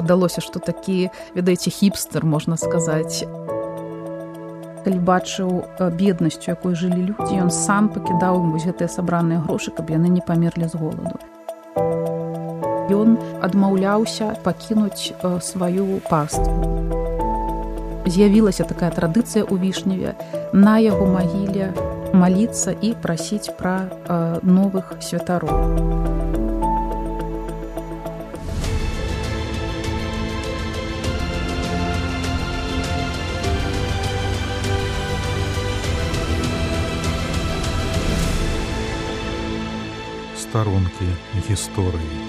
падалося, што такі, ведаеце, хіпстер, можна сказаць. Калі бачыў беднасць, у якой жылі людзі, ён сам пакідаў ім вось гэтыя сабраныя грошы, каб яны не памерлі з голаду. Ён адмаўляўся пакінуць сваю паству. З'явілася такая традыцыя ў Вішневе на яго магіле маліцца і прасіць пра новых святароў. Старонкі гісторыі.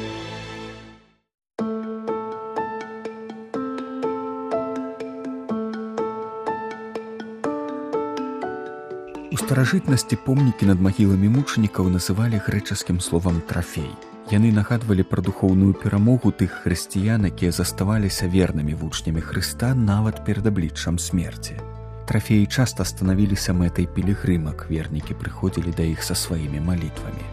У старажытнасці помнікі над магіламі мучанікаў называлі грэчаскім словам трафей. Яны нагадвалі пра духоўную перамогу тых хрысціян, якія заставаліся вернымі вучнямі Хрыста нават перад абліччам смерці. Трафеі часта станавіліся мэтай пілігрымак, вернікі прыходзілі да іх са сваімі малітвамі.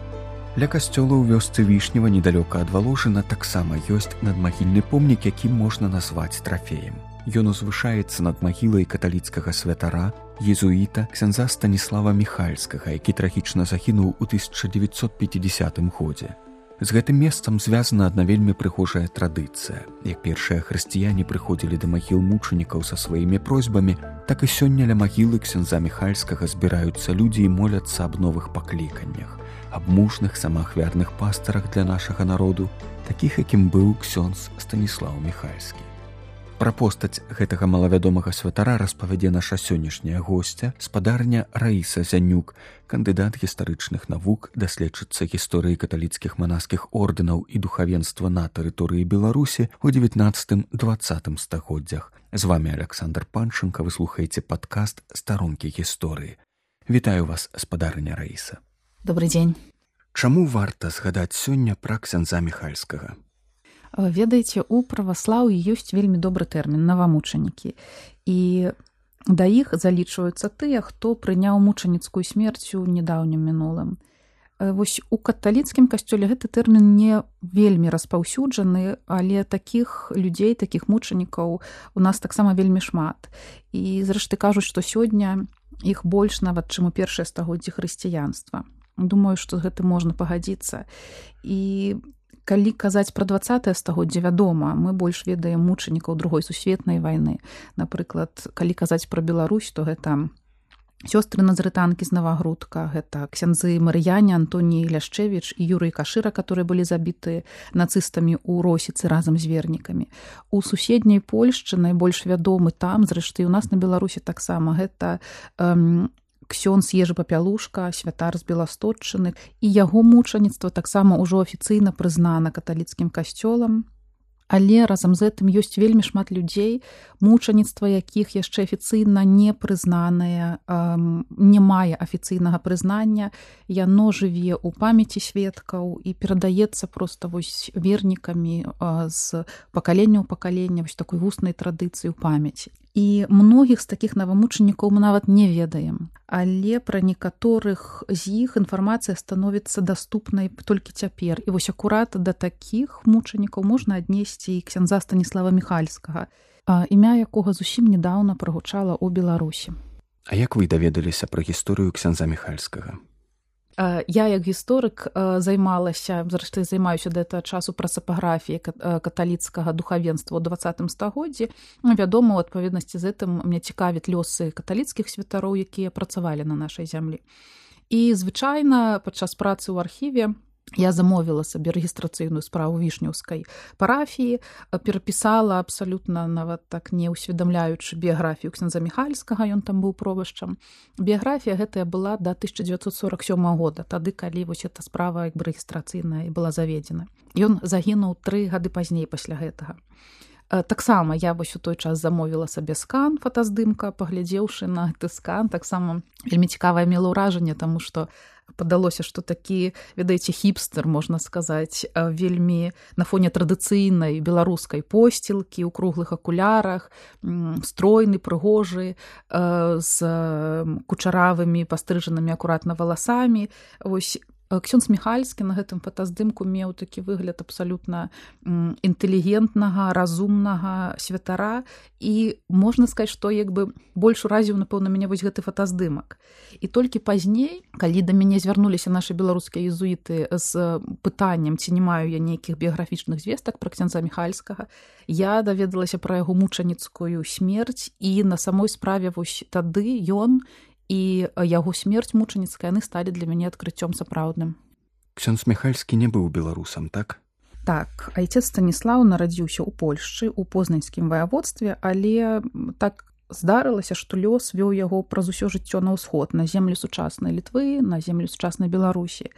Ля касцёла ў вёсцы Вішнева, недалёка ад Валожына, таксама ёсць надмагільны помнік, які можна назваць трафеем. Ён узвышаецца над магілай каталіцкага святара, езуіта ксяндза Станіслава Міхальскага, які трагічна загінуў у 1950 годзе. З гэтым месцам звязана адна вельмі прыгожая традыцыя. Як першыя хрысціяне прыходзілі да магіл мучанікаў са сваімі просьбамі, так і сёння ля магілы ксяндза Міхальскага збіраюцца людзі і моляцца аб новых пакліканнях, аб мужных самаахвярных пастарах для нашага народу, такіх, якім быў ксёндз Станіслаў Міхальскі. Пра постаць гэтага малавядомага святара распавядзе наша сённяшняя госця, спадарня Раіса Зянюк, кандыдат гістарычных навук, даследчыца гісторыі каталіцкіх манаскіх ордэнаў і духавенства на тэрыторыі Беларусі ў 19-20 стагоддзях. З вамі Александр Панченко, вы слухаеце падкаст «Старонкі гісторыі». Вітаю вас, спадарня Раіса. Добрый дзень. Чаму варта згадаць сёння пра ксяндза Міхальскага? Ведаеце, у праваслаўі ёсць вельмі добры тэрмін навамучанікі. І да іх залічваюцца тыя, хто прыняў мучаніцкую смерць у нядаўнім мінулым. Вось у каталіцкім касцёле гэты тэрмін не вельмі распаўсюджаны, але такіх людзей, такіх мучанікаў у нас таксама вельмі шмат. І зрэшты кажуць, што сёння іх больш нават, чым у першыя стагоддзі хрысціянства. Думаю, што з гэтым можна пагадзіцца. І калі казаць пра 20-е стагоддзе, вядома, мы больш ведаем мучанікаў Другой сусветнай вайны. Напрыклад, калі казаць пра Беларусь, то гэта сёстры назарытанкі з Навагрудка, гэта ксяндзы Марыяне, Антоній Ляшчэвіч і Юрый Кашыра, которые былі забіты нацыстамі ў Росіцы разам з вернікамі. У суседняй Польшчы найбольш вядомы там, зрэшты, у нас на Беларусі таксама, гэта ксёндз Ежы Папялушка, святар з Беластотчыны, і яго мучаніцтва таксама ўжо афіцыйна прызнана каталіцкім касцёлам. Але разам з гэтым ёсць вельмі шмат людзей, мучаніцтва якіх яшчэ афіцыйна не прызнанае, не мае афіцыйнага прызнання, яно жыве ў памяці сведкаў і перадаецца проста вось вернікамі з пакалення ў пакаленне, вось такой вуснай традыцыі ў памяці. І многіх з такіх навамучанікаў мы нават не ведаем, але пра некаторых з іх інфармацыя становіцца даступнай толькі цяпер. І вось акурат да такіх мучанікаў можна аднесці і ксяндза Станіслава Міхальскага, імя якога зусім нядаўна прагучала ў Беларусі. А як вы даведаліся пра гісторыю ксяндза Міхальскага? Я, як гісторык, займалася, зрэшты, займаюся да гэтага часу прасапаграфіяй каталіцкага духавенства ў 20 стагоддзі. Вядома, у адпаведнасці з гэтым мне цікавяць лёсы каталіцкіх святароў, якія працавалі на нашай зямлі. І, звычайна, падчас працы ў архіве я замовіла сабе рэгістрацыйную справу вішнеўскай парафіі, перапісала абсалютна нават так не ўсведамляючы біяграфію ксяндза Міхальскага, ён там быў провашчам. Біяграфія гэтая была да 1947 года, тады, калі вось эта справа як бы рэгістрацыйная была заведзена. Ён загінуў 3 гады пазней пасля гэтага. Таксама я вось у той час замовіла сабе скан, фотаздымка, паглядзеўшы на гэты скан, таксама вельмі цікавае мела ўражанне, таму што падалося, што такі, ведаеце, хіпстер, можна сказаць, вельмі на фоне традыцыйнай беларускай посцілкі, у круглых акулярах, стройны, прыгожы, з кучаравымі пастрыжанымі акуратна валасамі. Вось Ксёндз Міхальскі на гэтым фотаздымку меў такі выгляд абсалютна інтэлігентнага, разумнага святара, і можна сказаць, што як бы больш уразіў, напэўна, мяне вось гэты фотаздымак. І толькі пазней, калі да мяне звярнуліся нашы беларускія езуіты з пытаннем, ці не маю я нейкіх біяграфічных звестак пра ксяндза Міхальскага, я даведалася пра яго мучаніцкую смерць, і на самой справе вось тады ён і яго смерць мучаніцкая, яны сталі для мяне адкрыццём сапраўдным. Ксёндз Міхальскі не быў беларусам, так? Так, айцец Станіслаў нарадзіўся ў Польшчы, у Познанскім ваяводстве, але так здарылася, што лёс вёў яго праз усё жыццё на ўсход, на землі сучаснай Літвы, на землі сучаснай Беларусі.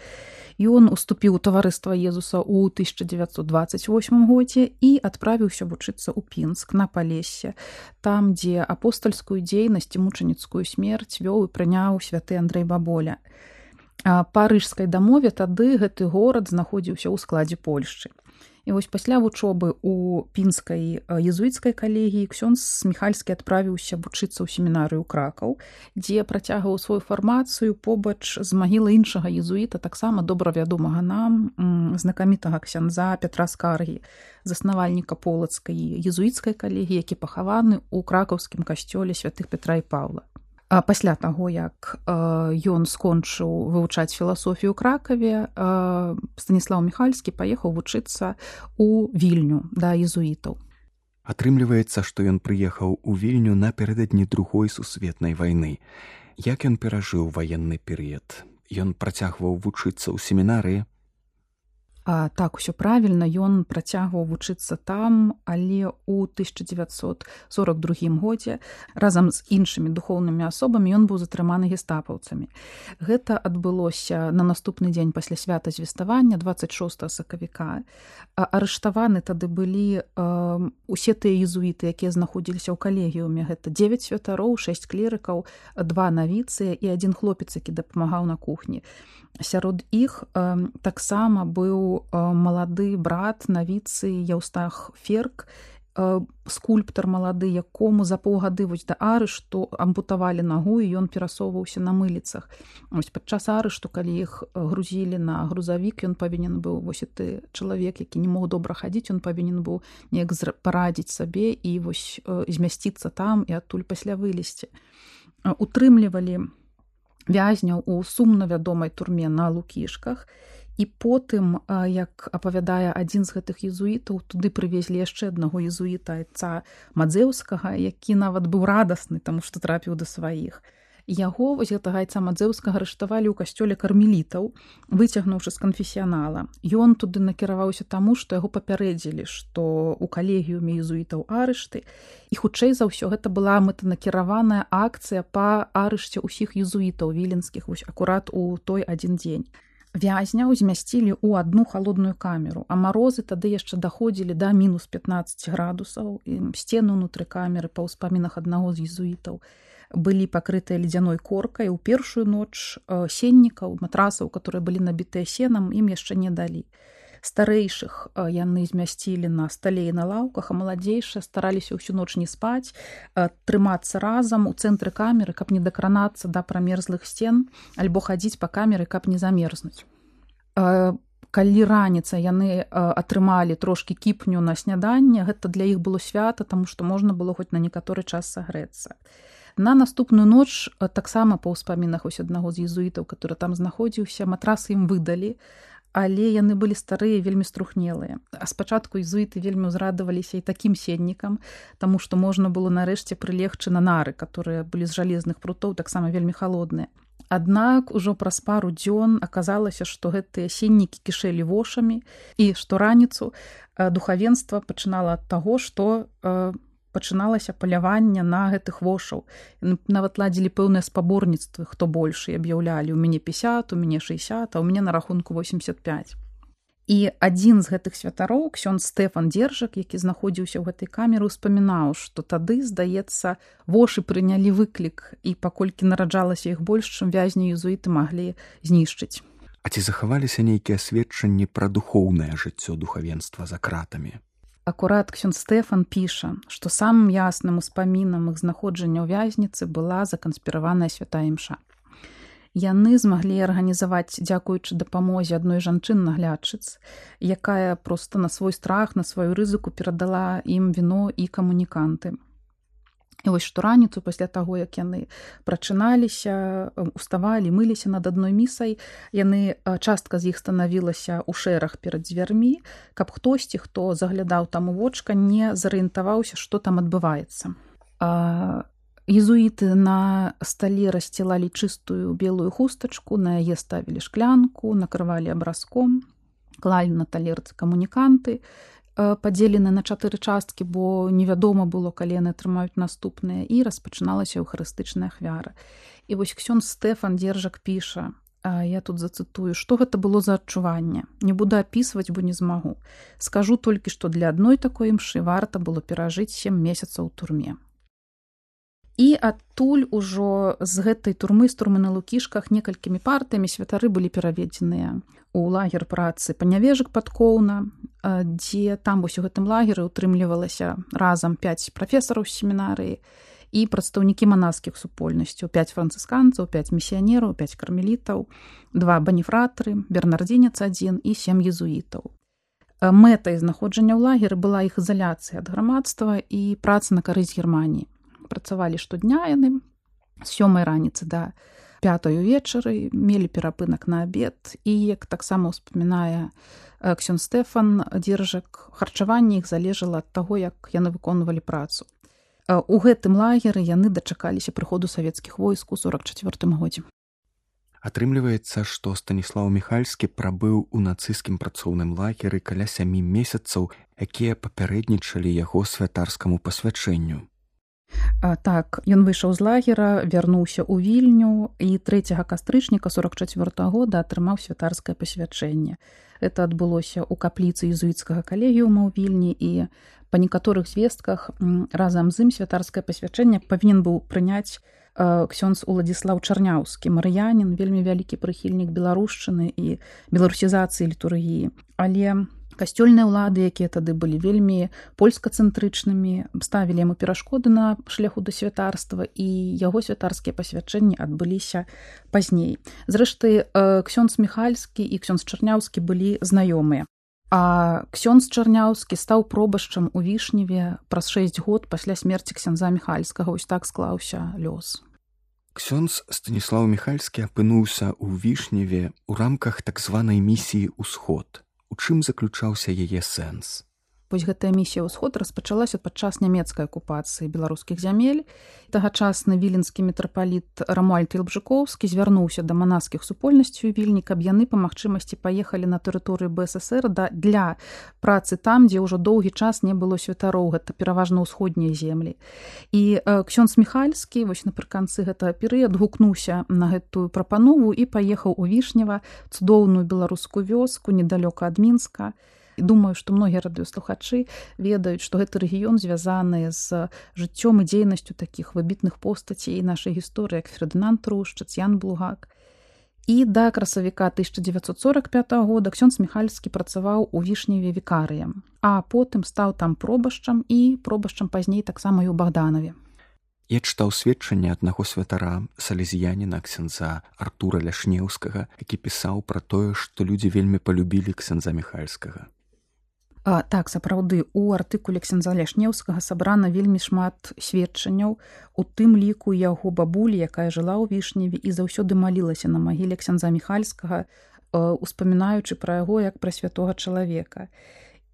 Ён уступіў у таварыства Езуса ў 1928 годзе і адправіўся вучыцца ў Пінск, на Палессе, там, дзе апостальскую дзейнасць і мучаніцкую смерць вёў і прыняў святы Андрэй Баболя. Па рыжскай дамове тады гэты горад знаходзіўся ў складзе Польшчы. І вось пасля вучобы ў пінскай езуіцкай калегіі ксёндз Міхальскі адправіўся вучыцца ў семінарыю Кракаў, дзе працягваў сваю фармацыю побач з магілай іншага езуіта, таксама добра вядомага нам, знакамітага ксяндза Пятра Скаргі, заснавальніка полацкай езуіцкай калегіі, які пахаваны ў кракаўскім касцёле святых Пятра і Паўла. Пасля таго, як ён скончыў вывучаць філасофію ў Кракаве, Станіслаў Міхальскі паехаў вучыцца ў Вільню да езуітаў. Атрымліваецца, што ён прыехаў у Вільню напярэдадні Другой сусветнай вайны. Як ён перажыў ваенны перыяд? Ён працягваў вучыцца ў семінарыі? Так, усё правільна, ён працягваў вучыцца там, але ў 1942 годзе разам з іншымі духоўнымі асобамі ён быў затрыманы гестапаўцамі. Гэта адбылося на наступны дзень пасля свята звеставання, 26 сакавіка. Арыштаваны тады былі усе тыя езуіты, якія знаходзіліся ў калегіуме. Гэта 9 святароў, 6 клерыкаў, 2 навіцыя і 1 хлопец, які дапамагаў на кухні. Сярод іх таксама быў малады брат навіцы Яўстах Ферк, скульптар малады, якому за паўгады вось да арышту ампутавалі нагу, і ён перасоўваўся на мыліцах. Вось падчас арышту, калі іх грузілі на грузавік, ён павінен быў, вось гэты чалавек, які не мог добра хадзіць, ён павінен быў неяк парадзіць сабе і вось змясціцца там і адтуль пасля вылезці. Утрымлівалі вязняў у сумна вядомай турме на Лукішках, і потым, як апавядае адзін з гэтых езуітаў, туды прывезлі яшчэ аднаго езуіта, айца Мадзеўскага, які нават быў радасны, таму што трапіў да сваіх. Яго, вось гэтага айца Мадзеўскага, арыштавалі ў касцёле кармелітаў, выцягнуўшы з канфесіянала. Ён туды накіраваўся таму, што яго папярэдзілі, што ў калегіуме езуітаў арышты, і хутчэй за ўсё гэта была мэтанакіраваная акцыя па арышце ўсіх езуітаў віленскіх вось акурат у той адзін дзень. Вязняў змясцілі ў адну халодную камеру, а марозы тады яшчэ даходзілі да мінус 15 градусаў, і сцены ўнутры камеры, па ўспамінах аднаго з езуітаў, былі пакрытыя ледзяной коркай. У першую ноч сеннікаў, матрасаў, которые былі набітыя сенам, ім яшчэ не далі. Старэйшых яны змясцілі на стале і на лаўках, а маладзейшыя стараліся ўсю ноч не спаць, трымацца разам у цэнтры камеры, каб не дакранацца да прамерзлых сцен, альбо хадзіць па камеры, каб не замерзнуць. Калі раніца яны атрымалі трошкі кіпню на сняданне, гэта для іх было свята, таму што можна было хоць на некаторы час сагрэцца. На наступную ноч, таксама па ўспамінах вось аднаго з езуітаў, который там знаходзіўся, матрасы ім выдалі, але яны былі старыя, вельмі струхнелыя. А спачатку езуіты вельмі ўзрадаваліся і такім сеннікам, таму што можна было нарэшце прылегчы на нары, которые былі з жалезных прутоў, таксама вельмі халодныя. Аднак ужо праз пару дзён аказалася, што гэтыя сеннікі кішэлі вошамі, і што раніцу духавенства пачынала ад таго, што пачыналася паляванне на гэтых вошаў. Нават ладзілі пэўныя спаборніцтвы, хто больш, і аб'яўлялі: у мяне 50, у мяне 60, а у мяне на рахунку 85. І адзін з гэтых святароў, ксёндз Стэфан Дзержак, які знаходзіўся ў гэтай камеры, успамінаў, што тады, здаецца, вошы прынялі выклік, і паколькі нараджалася іх больш, чым вязні езуіты маглі знішчыць. А ці захаваліся нейкія сведчанні пра духоўнае жыццё духавенства за кратамі? Акурат ксёндз Стэфан піша, што самым ясным успамінам іх знаходжання ў вязніцы была заканспіраваная святая імша. Яны змаглі арганізаваць, дзякуючы дапамозе адной жанчын-наглядчыц, якая проста на свой страх, на сваю рызыку перадала ім віно і камуніканты. І вось штораніцу пасля таго, як яны прачыналіся, уставалі, мыліся над адной місай, частка з іх станавілася ў шэраг перад дзвярмі, каб хтосьці, хто заглядаў там у вочка, не зарыентаваўся, што там адбываецца. Езуіты на стале рассцілалі чыстую белую хустачку, на яе ставілі шклянку, накрывалі абразком, клалі на талерцы камуніканты, падзелены на 4 часткі, бо невядома было, калі яны атрымаюць наступныя, і распачыналася эўхарыстычная ахвяра. І вось ксёндз Стэфан Дзержак піша, я тут зацытую, што гэта было за адчуванне. Не буду апісваць, бо не змагу. Скажу толькі, што для адной такой імшы варта было перажыць 7 месяцаў у турме. І адтуль ужо з гэтай турмы, з турмы на Лукішках, некалькімі партыямі святары былі пераведзеныя ў лагер працы Панявежык пад Коўна, дзе там вось у гэтым лагеры утрымлівалася разам 5 прафесараў з семінарыі і прадстаўнікі манаскіх супольнасцяў, 5 францысканцаў, 5 місіянераў, 5 кармелітаў, 2 баніфратары, бернардзінец 1 і 7 езуітаў. Мэтай знаходжання ў лагеры была іх ізаляцыя ад грамадства і праца на карысць Германіі. Працавалі штодня яны з 7 раніцы да 5 вечары, мелі перапынак на абед, і, як таксама ўспамінае ксёндз Стэфан Дзержак, харчаванне іх залежала ад таго, як яны выконвалі працу. У гэтым лагеры яны дачакаліся прыходу савецкіх войск у 44 годзе. Атрымліваецца, што Станіслаў Міхальскі прабыў у нацысцкім працоўным лагеры каля 7 месяцаў, якія папярэднічалі яго святарскаму пасвячэнню. Так, ён выйшаў з лагера, вярнуўся ў Вільню і 3 кастрычніка 44 года атрымаў святарскае пасвячэнне. Это адбылося ў капліцы езуіцкага калегіума ў Вільні, і па некаторых звестках разам з ім святарскае пасвячэнне павінен быў прыняць ксёндз Уладзіслаў Чарняўскі, марыянін, вельмі вялікі прыхільнік беларушчыны і беларусізацыі літургіі. Але касцёльныя ўлады, якія тады былі вельмі польскацэнтрычнымі, ставілі яму перашкоды на шляху да святарства, і яго святарскія пасвячэнні адбыліся пазней. Зрэшты, ксёндз Міхальскі і ксёндз Чарняўскі былі знаёмыя. А ксёндз Чарняўскі стаў пробашчам у Вішневе праз 6 год пасля смерці ксяндза Міхальскага. Вось так склаўся лёс. Ксёндз Станіслаў Міхальскі апынуўся ў Вішневе ў рамках так званай місіі «Усход». У чым заключаўся яе сэнс? Вось гэтая місія «Усход» распачалася падчас нямецкай акупацыі беларускіх зямель. Тагачасны віленскі мітрапаліт Рамуальд Ілбжыкоўскі звярнуўся да манаскіх супольнасцей у Вільні, каб яны па магчымасці паехалі на тэрыторыю БССР для працы там, дзе ўжо доўгі час не было святароў, гэта пераважна ўсходнія землі. І ксёндз Міхальскі вось напрыканцы гэтага перыяду гукнуўся на гэтую прапанову і паехаў у Вішнева, цудоўную беларускую вёску недалёка ад Мінска. Думаю, што многія радыёслухачы ведаюць, што гэты рэгіён звязаны з жыццём і дзейнасцю такіх выбітных постацей нашай гісторыі, як Фердынанд Трушчыц, Ян Блугак. І да красавіка 1945 года ксёндз Міхальскі працаваў у Вішневе вікарыем, а потым стаў там пробашчам і пробашчам пазней таксама і ў Богданове. Я чытаў сведчанне аднаго святара, салезіяніна ксяндза Артура Ляшнеўскага, які пісаў пра тое, што людзі вельмі палюбілі ксяндза Міхальскага. Так, сапраўды, у артыкуле ксяндза Ляшнеўскага сабрана вельмі шмат сведчанняў, у тым ліку яго бабулі, якая жыла ў Вішневе і заўсёды малілася на магіле ксяндза Міхальскага, успамінаючы пра яго як пра святога чалавека.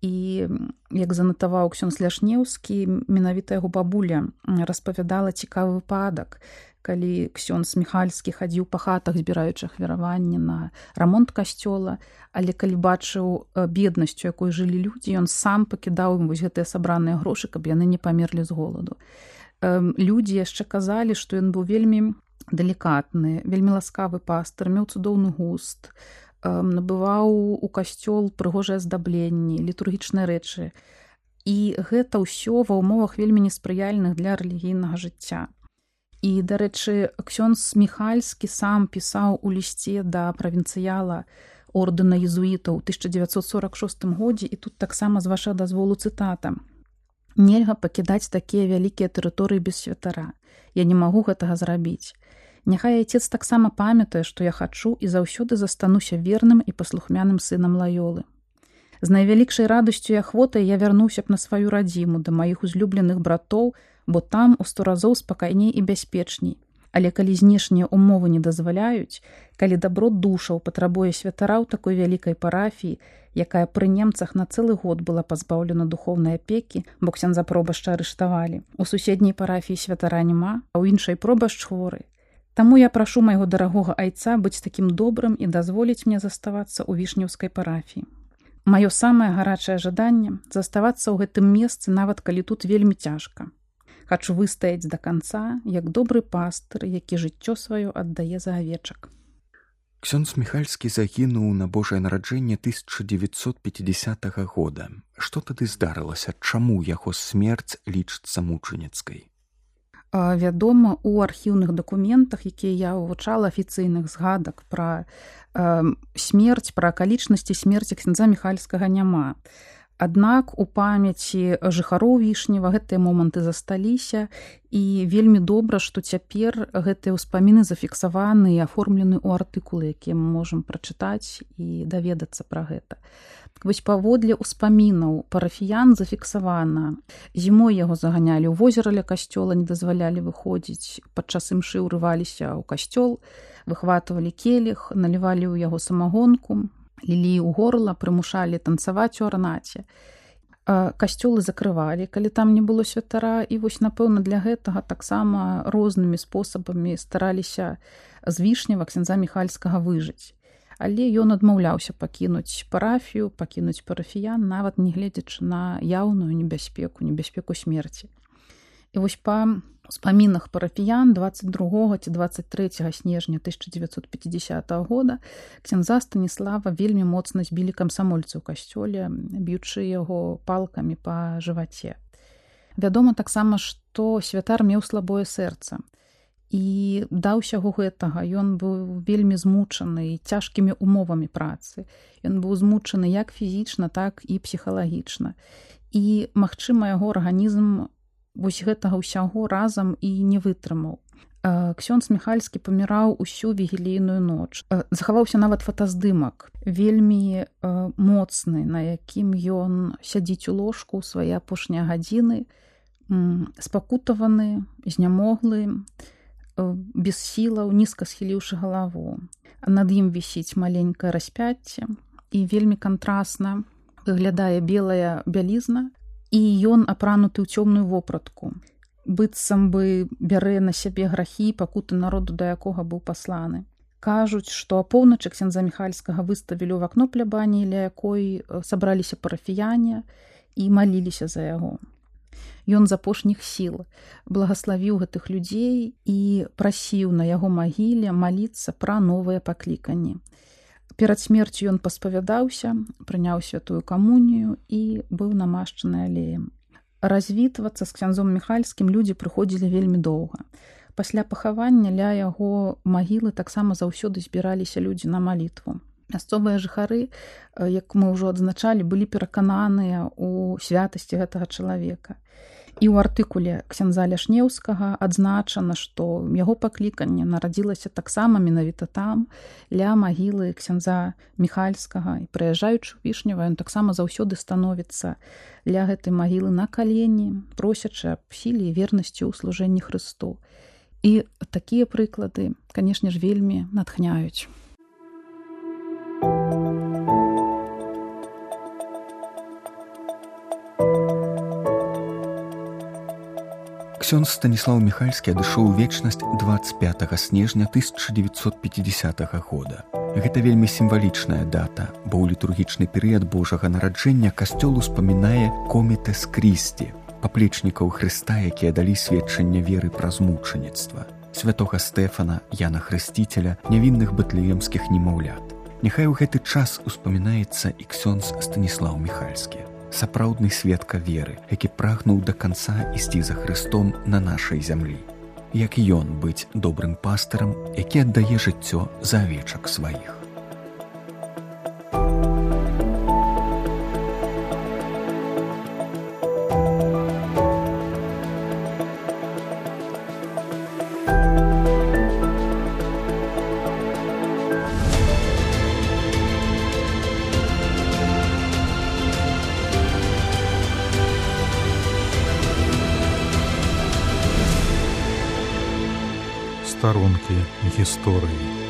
І, як занатаваў ксёндз Ляшнеўскі, менавіта яго бабуля распавядала цікавы выпадак, калі ксёндз Міхальскі хадзіў па хатах, збіраючы ахвяраванні на рамонт касцёла, але калі бачыў беднасць, у якой жылі людзі, ён сам пакідаў ім вось гэтыя сабраныя грошы, каб яны не памерлі з голаду. Людзі яшчэ казалі, што ён быў вельмі далікатны, вельмі ласкавы пастар, меў цудоўны густ, набываў у касцёл прыгожыя аздабленні, літургічныя рэчы. І гэта ўсё ва ўмовах вельмі неспрыяльных для рэлігійнага жыцця. І, дарэчы, ксёндз Міхальскі сам пісаў у лісце да правінцыяла ордэна езуітаў у 1946 годзе, і тут таксама з вашага дазволу цытата. «Нельга пакідаць такія вялікія тэрыторыі без святара. Я не магу гэтага зрабіць. Няхай айцец таксама памятае, што я хачу і заўсёды застануся верным і паслухмяным сынам Лаёлы. З найвялікшай радасцю і ахвотай я вярнуўся б на сваю радзіму да маіх узлюбленых братоў, бо там у 100 разоў спакайней і бяспечней. Але калі знешнія ўмовы не дазваляюць, калі дабро душаў патрабуе святара ў такой вялікай парафіі, якая пры немцах на цэлы год была пазбаўлена духоўнай апекі, бо ксяндза пробашча арыштавалі. У суседняй парафіі святара няма, а ў іншай пробашч хворы. Таму я прашу майго дарагога айца быць такім добрым і дазволіць мне заставацца ў вішнеўскай парафіі. Маё самае гарачае жаданне заставацца ў гэтым месцы, нават калі тут вельмі цяжка. Хачу выстаяць да канца, як добры пастыр, які жыццё сваё аддае за авечак. Ксёндз Міхальскі загінуў на Божае нараджэнне 1950 года. Што тады здарылася? Чаму яго смерць лічыцца мучаніцкай? Вядома, у архіўных дакументах, якія я вывучала, афіцыйных згадак пра смерць, пра акалічнасці смерці ксяндза Міхальскага няма. Аднак у памяці жыхароў Вішнева гэтыя моманты засталіся, і вельмі добра, што цяпер гэтыя ўспаміны зафіксаваны і аформлены ў артыкулы, якія мы можам прачытаць і даведацца пра гэта. Вось паводле ўспамінаў парафіян зафіксавана. Зімой яго заганялі ў возера ля касцёла, не дазвалялі выходзіць, падчас імшы ўрываліся ў касцёл, выхватывалі келіх, налівалі ў яго самагонку, лілі ў горла, прымушалі танцаваць у арнаце. Касцёлы закрывалі, калі там не было святара, і вось, напэўна, для гэтага таксама рознымі спосабамі стараліся з Вішнева ксяндза Міхальскага выжыць. Але ён адмаўляўся пакінуць парафію, пакінуць парафіян, нават не гледзячы на яўную небяспеку смерці. І вось па ўспамінах парафіян 22 ці 23 снежня 1950 года ксяндза Станіслава вельмі моцна збілі камсамольцы ў касцёле, б'ючы яго палкамі па жываце. Вядома таксама, што святар меў слабое сэрца. І да ўсяго гэтага ён быў вельмі змучаны цяжкімі умовамі працы. Ён быў змучаны як фізічна, так і псіхалагічна. І, магчыма, яго арганізм вось гэтага ўсяго разам і не вытрымаў. Ксёндз Міхальскі паміраў усю вігілійную ноч. Захаваўся нават фотаздымак, вельмі моцны, на якім ён сядзіць у ложку ў свае апошнія гадзіны, спакутаваны, знямоглы, без сілаў, нізка схіліўшы галаву. Над ім вісіць маленькае распяцце і вельмі кантрасна выглядае белая бялізна, і ён апрануты ў цёмную вопратку. Быццам бы бярэ на сябе грахі пакуты народу, да якога быў пасланы. Кажуць, што апоўначы ксяндза Міхальскага выставілі ў акно плябаніі, ля якой сабраліся парафіяне і маліліся за яго. Ён з апошніх сіл благаславіў гэтых людзей і прасіў на яго магіле маліцца пра новыя пакліканні. Перад смерцю ён паспавядаўся, прыняў святую камунію і быў намашчаны алеем. Развітвацца з ксяндзом Міхальскім людзі прыходзілі вельмі доўга. Пасля пахавання ля яго магілы таксама заўсёды збіраліся людзі на малітву. Мясцовыя жыхары, як мы ўжо адзначалі, былі перакананыя ў святасці гэтага чалавека. І ў артыкуле ксяндза Ляшнеўскага адзначана, што яго пакліканне нарадзілася таксама менавіта там, ля магілы ксяндза Міхальскага. І прыязджаючы ў Вішнева, ён таксама заўсёды становіцца ля гэтай магілы на калені, просячы аб сіле і вернасці ў служэнні Хрысту. І такія прыклады, канешне ж, вельмі натхняюць. Ксёндз Станіслаў Міхальскі адышоў у вечнасць 25 снежня 1950 года. Гэта вельмі сімвалічная дата, бо ў літургічны перыяд Божага нараджэння касцёл успамінае комітес Крісті, паплечнікаў Хрыста, якія далі сведчанне веры праз мучаніцтва, святога Стэфана, Яна Хрысціцеля, нявінных бэтлеемскіх немаўлят. Няхай у гэты час успамінаецца і ксёндз Станіслаў Міхальскі, сапраўдны сведка веры, які прагнуў да канца ісці за Хрыстом на нашай зямлі. Як ён быць добрым пастырам, які аддае жыццё за авечак сваіх. Старонкі гісторыі.